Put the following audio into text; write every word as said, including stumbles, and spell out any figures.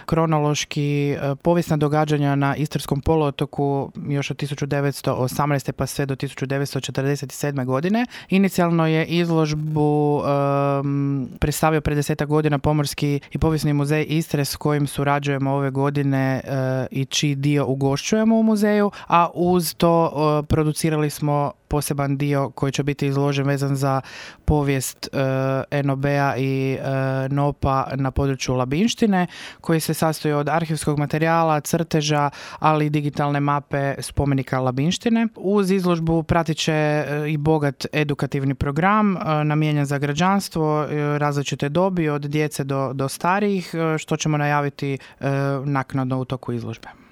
kronološki povijesna događanja na Istarskom poluotoku još od tisuću devetsto osamnaeste pa sve do tisuću devetsto četrdeset sedme godine. Inicijalno je izložbu um, predstavio pred desetak godina Pomorski i povijesni muzej Istre s kojim surađujemo ove godine uh, i čiji dio ugošćujemo u muzeju, a uz to uh, producirali smo poseban dio koji će biti izložen vezan za povijest uh, en o be-a i uh, nopa na području Labinštine, koji se sastoji od arhivskog materijala, crteža, ali i digitalne mape spomenika Labinštine. Uz izložbu pratit će uh, i bogat edukativni program uh, namijenjen za građanstvo, uh, različite dobi od djece do, do starijih, uh, što ćemo najaviti uh, naknadno u toku izložbe.